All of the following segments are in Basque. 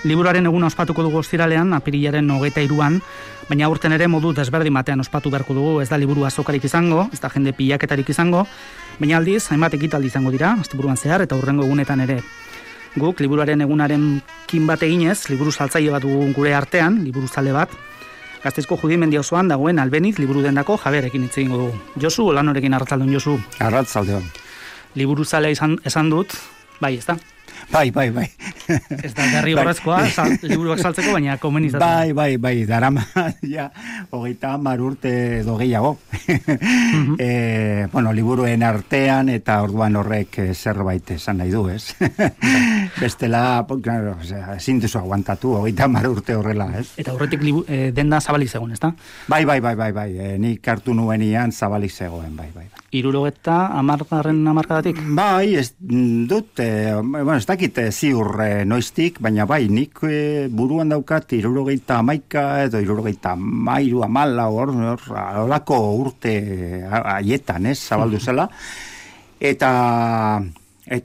liburuaren eguna ospatuko dugu ostiralean, apirilaren 23an, baina aurten ere modu desberdin batean ospatu beharko dugu, ez da liburu azokarik izango, ez da jende pilaketarik izango, baina aldiz, hainbat ekitaldi izango dira, asteburuan zehar eta hurrengo egunetan ere. Guk, liburuaren egunaren kin bat eginez, liburu saltzaile bat dugu gure artean, liburu zale bat, Gasteizko Judimendi osoan dagoen Albeniz liburu dendako jabearekin hitz egingo dugu. Josu, Olanorekin arratzaldeon, Josu. Arratzaldeon. Liburu zalea esan dut, bai, ez da? Bai. Ez da berri horrezkoa, liburuak saltzeko, baina komenizatzen. Bai, darama, ja, 30 urte edo gehiago. Bueno, liburuen artean, eta orduan horrek zerbait esan nahi du, ez? Bestela, claro, ezin duzu aguantatu, 30 urte horrela, ez? Eta horretik denda zabalik zegoen, ez da? Bai, nik hartu nuenian zabalik zegoen, bai. 70 hamarkadatik? Bai, ez dut, bueno, ez dakit ziur noiztik, baina bai, nik buruan daukat 71 edo 73 olako urte haietan, ez, zabaldu zela, eta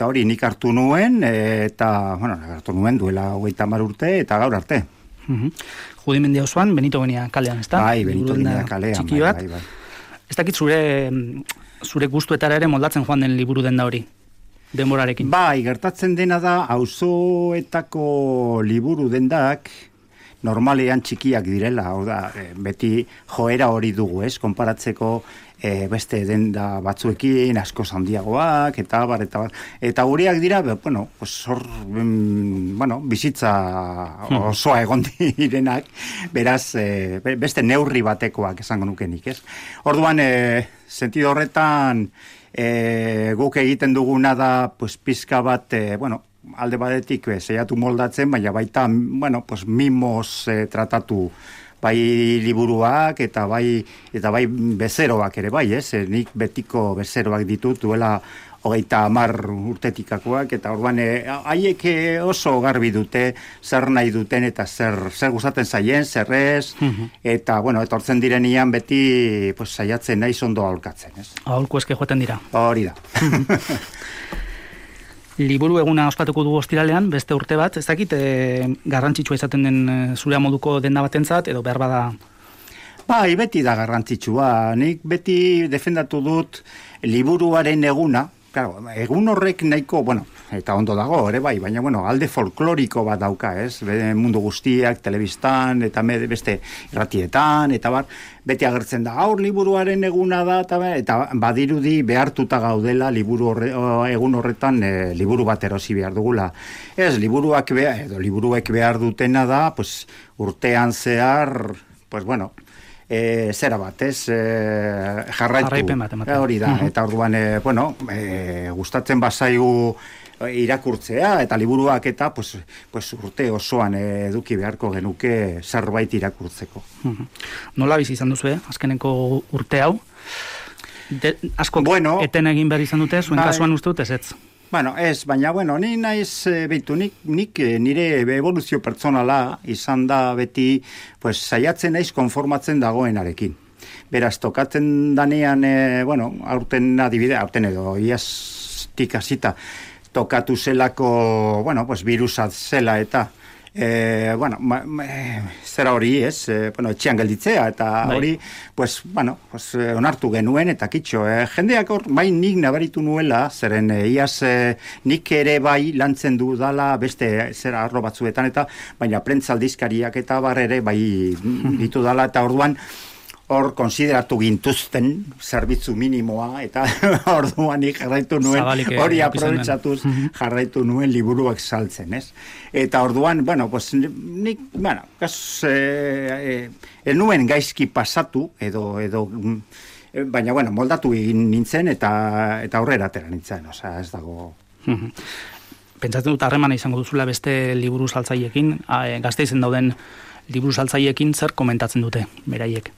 hori nik hartu nuen, hartu nuen duela 30 urte, eta gaur arte. Judimendi osoan, Benito Benia kalean, ez da? Bai, Benito Benia kalean, txiki bat. Bai. Ez dakit zure gustuetara ere moldatzen joan den liburu denda hori, denborarekin. Bai, gertatzen dena da, auzoetako liburu dendak normalean txikiak direla, hau da, beti joera hori dugu, ez, konparatzeko beste denda batzuekin, asko handiagoak, eta bar, eta horiak dira, bizitza osoa egon direnak, beraz, beste neurri batekoak esango nukenik, ez? Orduan, sentido horretan, guk egiten duguna da, pizka bat, alde batetik zeiatu moldatzen, baina baita, mimos tratatu bai liburuak eta bai bezeroak ere bai, ez? Nik betiko bezeroak ditut duela 30 urtetikakoak, eta orduan haiek oso garbi dute zer nahi duten eta zer gustatzen zaien, zer ez, eta etortzen direnian beti saiatzen naiz ondo aholkatzen, ez? Aholku eske joaten dira. Hori da. Liburu eguna ospatuko dugu ostiralean, beste urte bat, ez dakit garrantzitsua izaten den zure moduko denda batentzat, edo behar bada? Bai, beti da garrantzitsua. Nik beti defendatu dut liburuaren eguna, claro, egun horrek nahiko, eta ondo dago, ere bai, baina, alde folkloriko bat dauka, ez? Mundu guztiak, telebistan, eta beste irratietan, eta beti agertzen da, gaur liburuaren eguna da, eta badirudi behartuta gaudela egun horretan liburu bat erosi behar dugula. Ez, liburuek behar dutena da, urtean zehar, zera bat, ez? Jarraipen bat, hori da, eta orduan, gustatzen bazaigu irakurtzea, eta liburuak eta urte osoan eduki beharko genuke zerbait irakurtzeko. Nola bizi izan duzu, azkeneko urte hau? Asko eten egin behar izan dute, zuen kasuan uste dut ez? Ez, baina, ni naiz, nik nire evoluzio pertsonala izan da beti, saiatzen naiz konformatzen dagoenarekin. Beraz, tokatzen danean, aurten edo, iaztik hasita, tokatu zelako, virusat zela eta, zera hori, ez, etxean gelditzea, eta hori, onartu genuen, eta kitxo, jendeak nik nabaritu nuela, zeren iaz nik ere bai lantzen du dala beste zera arlo batzuetan, eta baina prentzaldizkariak eta ere bai ditu dala, eta orduan, hor konsideratu gintuzten zerbitzu minimoa, eta orduan jarraitu nuen, hori aprobetxatuz jarraitu nuen liburuak saltzen, ez? Eta orduan, nik, nuen gaizki pasatu, baina, moldatu egin nintzen, eta aurrera atera nintzen, ez dago. Pentsatzen dut harremana izango duzula beste liburu saltzaileekin, Gasteizen dauden liburu saltzaileekin zer komentatzen dute, beraiek?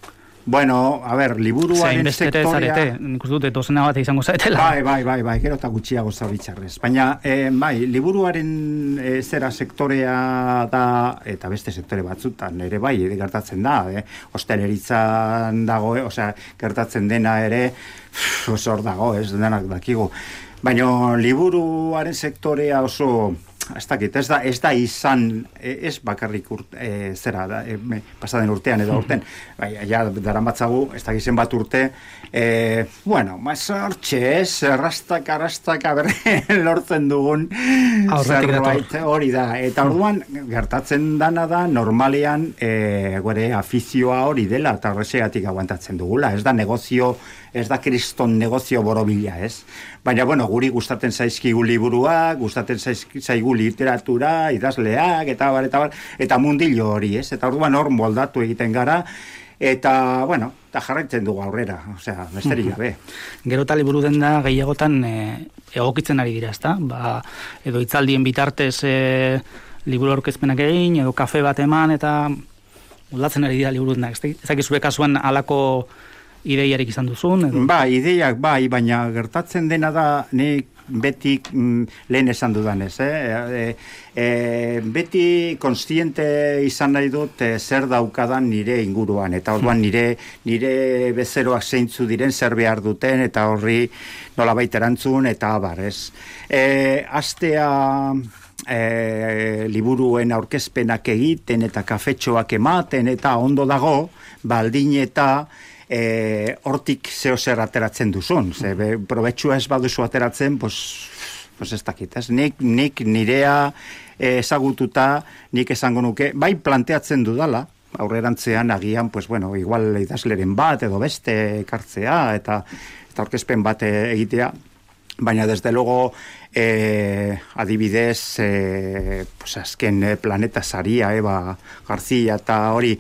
Liburuaren sektorea... Nik uste dute dozena bat izango zaretela. Bai, gero eta gutxiago zauritzarrez. Baina, liburuaren zera sektorea da, eta beste sektore batzutan ere bai, gertatzen da, hosteleritzan dago, gertatzen dena ere, hor dago, ez denak dakigu. Baina, liburuaren sektorea oso ez dakit, ez da izan, ez bakarrik zera, pasaden urtean edo urten, ja, daramatzagu, ez dakit zenbat urte, bueno, mazortxe, arrastaka lortzen dugun zerbait, hori da, eta orduan, gertatzen dana da, normalean, gure afizioa hori dela, eta horrexegatik aguantatzen dugula, ez da negozio, ez da kriston negozio borobila, ez? Baina, bueno, guri gustatzen zaizkigu liburuak, gustatzen zaigu literatura, idazleak, eta mundillo hori, ez? Eta orduan hor moldatu egiten gara, eta, bueno, eta jarraitzen dugu aurrera, osea, besterik gabe. Gero eta liburu denda gehiagotan egokitzen ari dira, ezta? Edo hitzaldien bitartez liburu aurkezpenak egin, edo kafe bat eman, eta moldatzen ari dira liburu dendak, ez dakit zure kasuan halako ideiarik izan duzun? Edo? Ideiak baina gertatzen dena da nik beti lehen esan dudanez. Beti konstiente izan nahi dut zer daukadan nire inguruan, eta orduan nire bezeroak zeintzu diren zer behar duten, eta horri nolabait erantzun, eta abar, ez. Astea liburuen aurkezpenak egiten, eta kafetxoak ematen, eta ondo dago, baldin eta hortik zeo zer ateratzen duzun. Probetxua ez baduzu ateratzen, pues ez dakit, ez? Nik nirea ezagututa, nik esango nuke, bai planteatzen dudala, aurrerantzean agian, pues bueno, igual idazleren bat, edo beste ekartzea, eta aurkezpen bat egitea, baina desde luego adibidez pues azken Planeta Saria, Eva García eta hori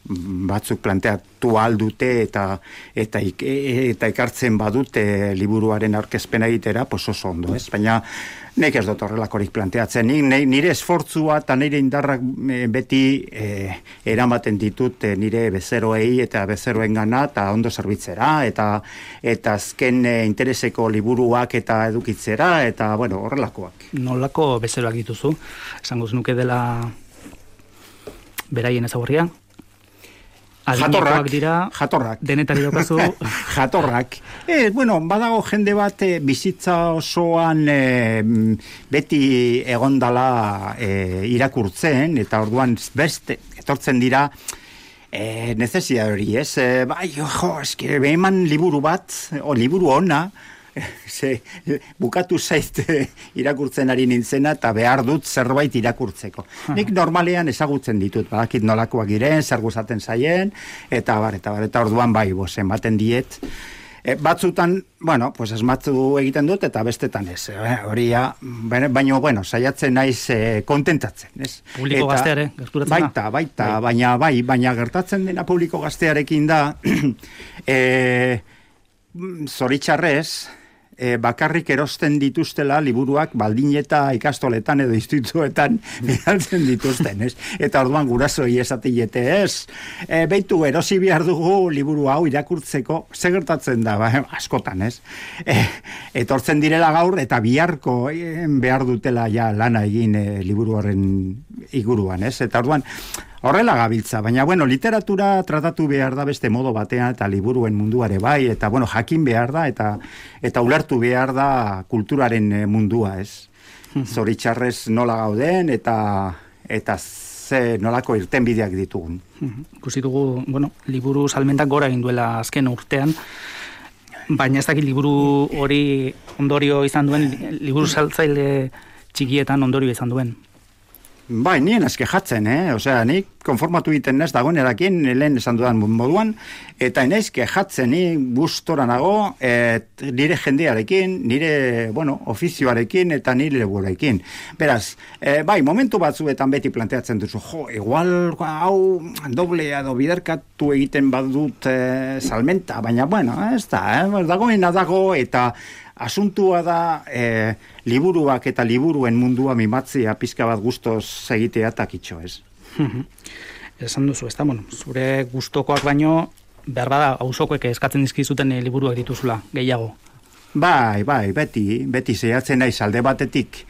batzuk planteatu aldute eta ekartzen badute liburuaren aurkezpena egitera, pues oso ondo, ez? Baina nik ez dut horrelakorik planteatzen. Nire esfortzua eta nire indarrak beti eramaten ditut nire bezeroei eta bezeroengana eta ondo zerbitzera eta azken intereseko liburuak eta edukitzera eta bueno, horrelakoak. Nolako bezeroak dituzu? Esango nuke dela beraien ezagurria? Jatorrak. Denetari daukazu. Jatorrak. Bueno, badago jende bat bizitza osoan beti egondala irakurtzen, eta orduan beste etortzen dira necesia hori, ez? Eske eman liburu bat, o liburu ona, bukatu zait irakurtzen ari nintzena eta behar dut zerbait irakurtzeko. Nik normalean ezagutzen ditut, badakit nolakoak giren, zer gustatzen zaien, eta orduan ematen diet. Batzutan, bueno, pues asmatu egiten dut eta bestetan ez. Horia, baina, bueno, saiatzen naiz kontentatzen, ez? Publiko gazteare, gerturatzen da? Baita, baina gertatzen dena publiko gaztearekin da, zoritxarrez, bakarrik erosten dituztela liburuak baldin eta ikastoletan edo institutuetan bidaltzen dituzten, ez? Eta orduan gurasoi esatiete, ez? Beitu, erosi behar dugu liburu hau irakurtzeko, ze gertatzen da, askotan, ez? Etortzen direla gaur, eta biharko behar dutela ja lana egin liburu horren iguruan, ez? Eta orduan, horrela gabiltza, baina, bueno, literatura tratatu behar da beste modo batean, eta liburuen munduare bai, eta, bueno, jakin behar da, eta ulertu behar da kulturaren mundua, ez? Zoritxarrez nola gauden, eta ze nolako irtenbideak ditugun. Ikusi dugu, bueno, liburu salmentak gora egin duela azken urtean, baina ez dakit liburu hori ondorio izan duen, liburu saltzaile txikietan ondorio izan duen. Bai, nien azkejatzen, Osea, nik konformatu egiten nez dagoenerakin, lehen esan dudan moduan, eta naiz kejatzen, ni gustora nago, nire jendearekin, nire, bueno, ofizioarekin, eta nire leburekin. Beraz, bai, momentu batzuetan beti planteatzen duzu, igual, hau, doble edo biderkatu egiten badut salmenta, baina, bueno, ez da, dagoena dago, eta asuntua da liburuak eta liburuen mundua mimatzea pizka bat gustoz egitea takitxo, ez? Esan duzu, ez da, bueno, zure gustokoak baino, behar bada, auzokoek eskatzen dizkizuten liburuak dituzula, gehiago. Bai, beti zehatzen naiz alde batetik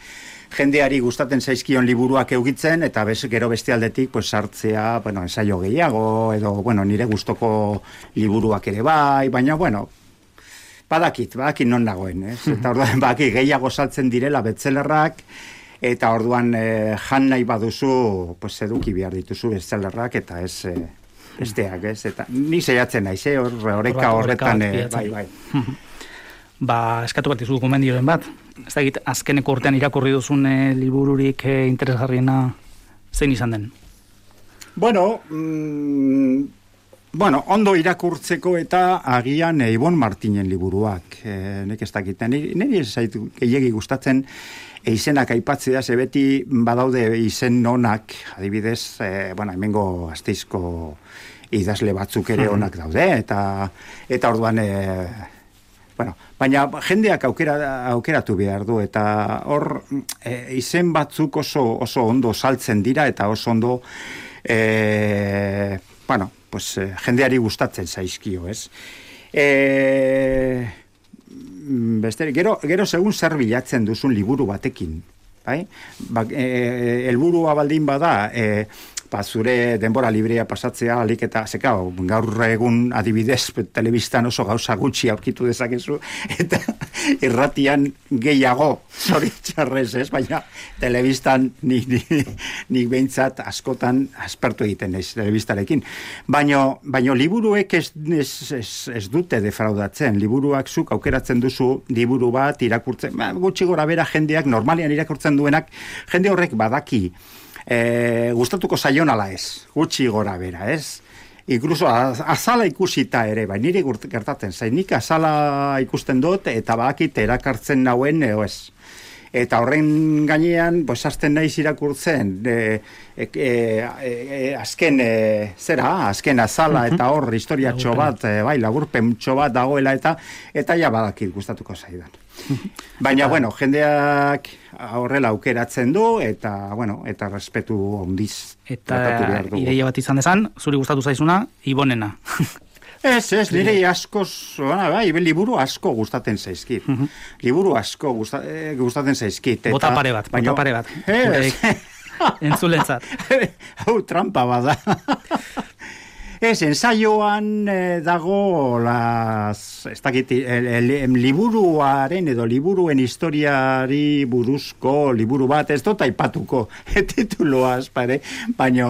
jendeari gustatzen zaizkion liburuak eukitzen, eta gero beste aldetik, pues, sartzea, bueno, ensaio gehiago, edo, bueno, nire gustoko liburuak ere bai, baina, bueno, badakit non nagoen, ez? Eta orduan badakit gehiago saltzen direla bestsellerrak, eta orduan jan nahi baduzu, pues eduki behar dituzu bestsellerrak, eta ez besteak, ez? Eta ni saiatzen naiz, oreka horretan, bai. Eskatu bat izu gomendioren bat. Ez da azkeneko urtean irakurri duzun libururik interesgarriena zein izan den? Bueno, ondo irakurtzeko eta agian Ibon Martinen liburuak. Nek ez dakit. Niri ez zaitu gehiegi gustatzen izenak aipatzea, ze beti badaude izen onak, adibidez, hemengo Gasteizko idazle batzuk ere onak daude, eta orduan, baina jendeak aukeratu behar du, eta hor izen batzuk oso ondo saltzen dira, eta oso ondo, jendeari gustatzen zaizkio, ez? Gero segun zer bilatzen duzun liburu batekin, bai? Helburua baldin bada, zure denbora librea pasatzea, alik eta gaur egun adibidez telebistan oso gauza gutxi aurkitu dezakezu, eta irratian gehiago, zoritxarrez, ez? Baina telebistan nik behintzat askotan aspertu egiten naiz telebistarekin. Baina liburuek ez dute defraudatzen. Liburuak zuk aukeratzen duzu liburu bat irakurtzen, gutxi gora bera jendeak normalean irakurtzen duenak, jende horrek badaki gustatuko zaion ala ez, gutxi gora bera, ez? Inkluso azala ikusita ere, bai, niri gertatzen zain, nik azala ikusten dut, eta badakit erakartzen nauen, ez. Eta horren gainean, hasten naiz irakurtzen, azken azala, eta hor historiatxo bat, laburpentxo bat dagoela, eta ja badakit gustatuko zaidan. Baina, jendeak horrela aukeratzen du, eta respetu ondiz. Eta ideia bat izan dezan, zuri gustatu zaizuna, Ibonena. Ez, nire liburu asko gustatzen zaizkit. Liburu asko gustatzen zaizkit. Bota pare bat. Entzulentzat. Hau, trampa bada. Ez, ensaioan dago liburuaren edo liburuen historiari buruzko liburu bat, ez dut aipatuko tituloaz, baina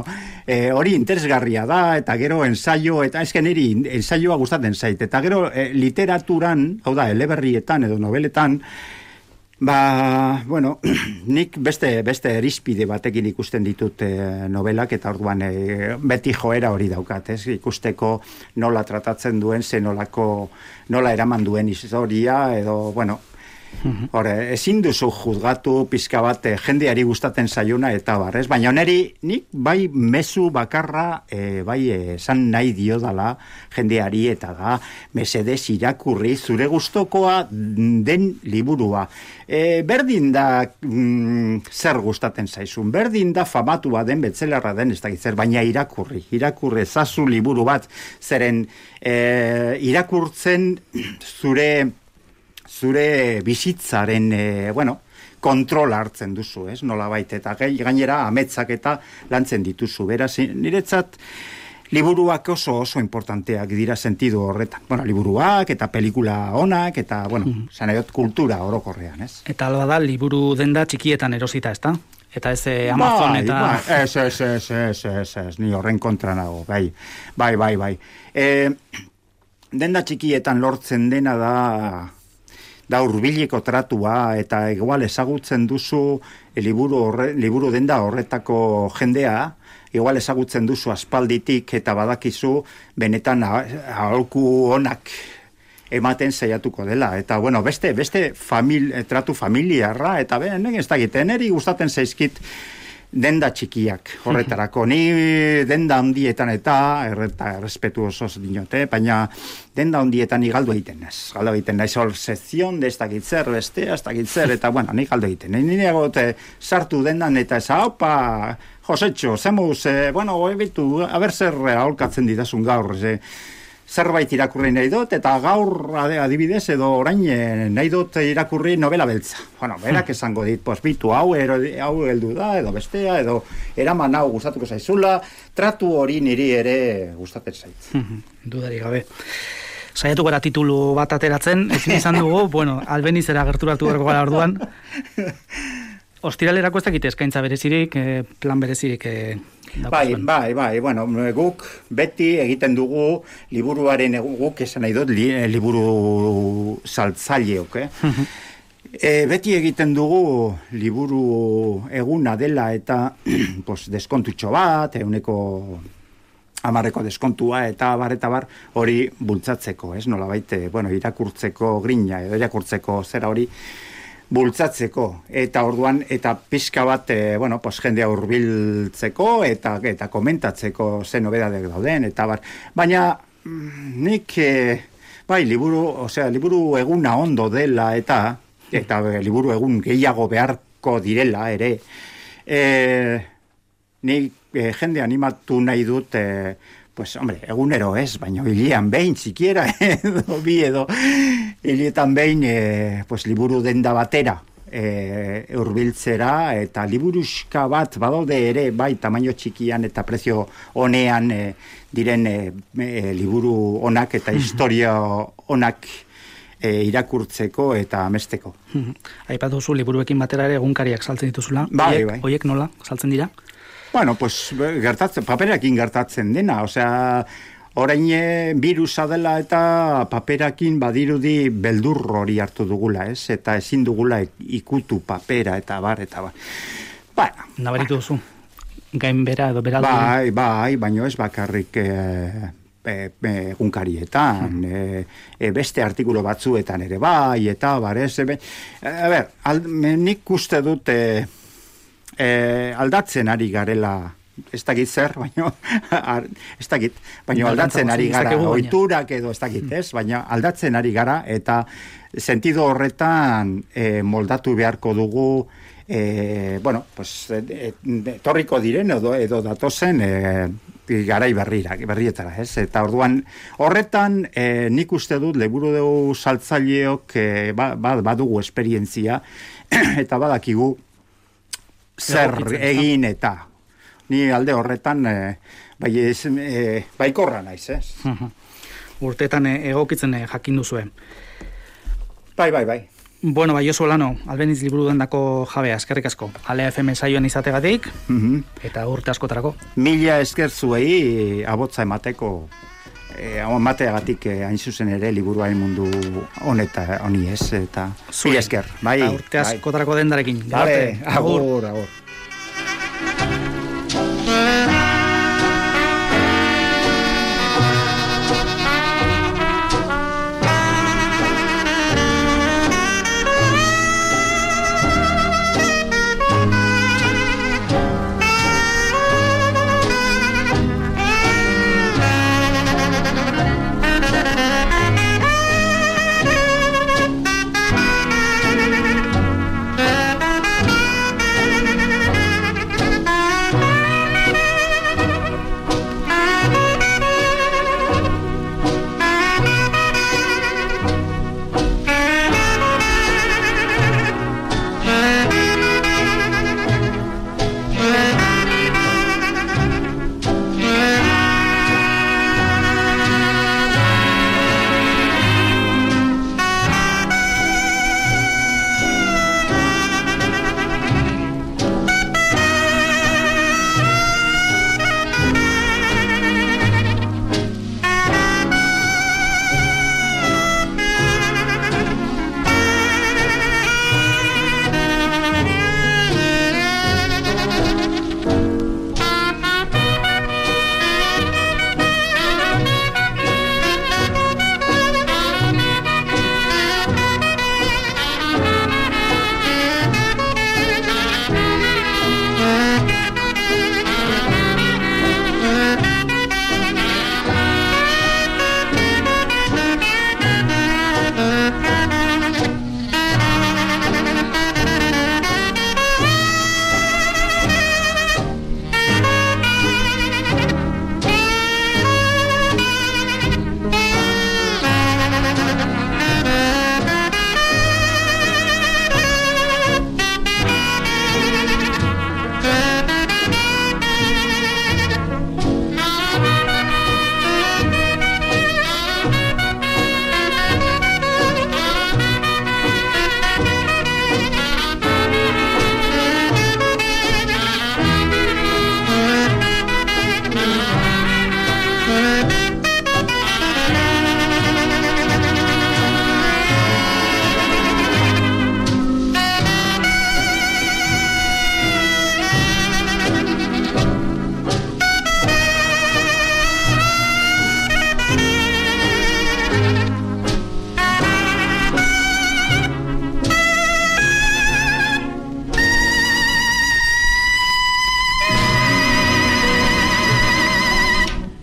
hori interesgarria da, eta gero ensaio, eta ezken niri ensaioa gustatzen zait, eta gero literaturan, hau da, eleberrietan edo nobeletan, nik beste erizpide batekin ikusten ditut novelak, eta orduan beti joera hori daukat, ez? Ikusteko nola tratatzen duen, nola eraman duen historia, edo, ezin duzu juzgatu pizka bat jendeari gustatzen zaiona eta barrez, baina nik bai mezu bakarra esan nahi dio dala jendeari, eta da mesedez irakurri zure gustokoa den liburua. Berdin da zer gustatzen zaizun, berdin da famatua den bestsellerra den ez dakit zer, baina irakurri ezazu liburu bat, zeren irakurtzen zure bizitzaren, kontrol hartzen duzu, ez? Nolabait, eta gainera ametsak eta lantzen dituzu. Beraz, niretzat liburuak oso importanteak dira sentidu horretan. Liburuak eta pelikula onak, eta, zanaiot kultura orokorrean, ez? Eta alba da, liburu denda txikietan erosita, ez da? Eta ez Amazon eta... Ez, ni horren kontra nago, bai. Denda txikietan lortzen dena da hurbileko tratua, eta igual ezagutzen duzu liburu denda horretako jendea, igual ezagutzen duzu aspalditik, eta badakizu benetan aholku onak ematen saiatuko dela. Eta, beste tratu familiarra, eta ez da egiten, niri gustatzen zaizkit denda txikiak horretarako. Ni denda handietan eta errespetu osoz dinote, baina denda handietan ni galdu egiten naiz. Galdu egiten naiz hor sekzion de ez dakit zer, bestea ez dakit zer, eta ni galdu egiten. Ni egote sartu dendan eta ez, haupa, Josetxo, zemuz, bitu, aber zer aholkatzen didazun gaur, zerbait irakurri nahi dut, eta gaur adibidez edo orain nahi dut irakurri novela beltza. Berak esango dit, bitu hau heldu da, edo bestea, edo eraman hau gustatuko zaizula, tratu hori niri ere gustatzen zait. Dudari gabe. saiatu gara titulu bat ateratzen, ezin izan dugu, bueno, Albenizera gerturatu berko gara orduan. Ostiralerako ez dakit eskaintza berezirik, plan berezirik Bai, bueno, guk beti egiten dugu liburuaren guk esan nahi dut liburu saltzaileok, beti egiten dugu liburu eguna dela eta deskontutxo bat, 10% deskontua eta bar hori bultzatzeko, nolabait, irakurtzeko grina edo irakurtzeko zera hori bultzatzeko, eta orduan, eta pixka bat, jendea hurbiltzeko eta komentatzeko ze nobedadek dauden, eta bar. Baina, nik, liburu eguna ondo dela, eta liburu egun gehiago beharko direla, ere, nik jende animatu nahi dut, egunero ez, baina hilean behin, sikiera, edo hiletan behin, liburu denda batera hurbiltzera, eta liburuska bat badaude ere, bai, tamaino txikian eta prezio honean diren liburu onak eta historia onak irakurtzeko eta amesteko. Aipatu zu liburuekin batera ere egunkariak saltzen dituzula. Bai. Hoiek nola saltzen dira? Bueno, paperakin gertatzen dena, orain virusa dela eta paperakin badirudi beldur hori hartu dugula, eta ezin dugula ikutu papera eta bar. Nabaritu duzu, gain bera edo beraldu? Bai, baina ez bakarrik egunkarietan, beste artikulu batzuetan ere bai, eta bar, nik uste dut aldatzen ari garela, ez dakit zer, baina aldatzen ari gara, ohiturak edo ez dakit, baina aldatzen ari gara, eta sentido horretan moldatu beharko dugu, torriko diren edo datozen garai berrietara, eta orduan horretan nik uste dut liburu saltzaileok badugu esperientzia, eta badakigu zer egin eta ni alde horretan baikorra naiz, Urteetan egokitzen jakin duzue. Bai. Bueno, Josu Olano, Albeniz liburu dendako jabea, eskerrik asko. Alea FM saioan izategatik, eta urte askotarako. Mila esker zuei abotza emateagatik hain zuzen ere liburuaren mundu honi eta mila esker. Urte askotarako dendarekin. Agur.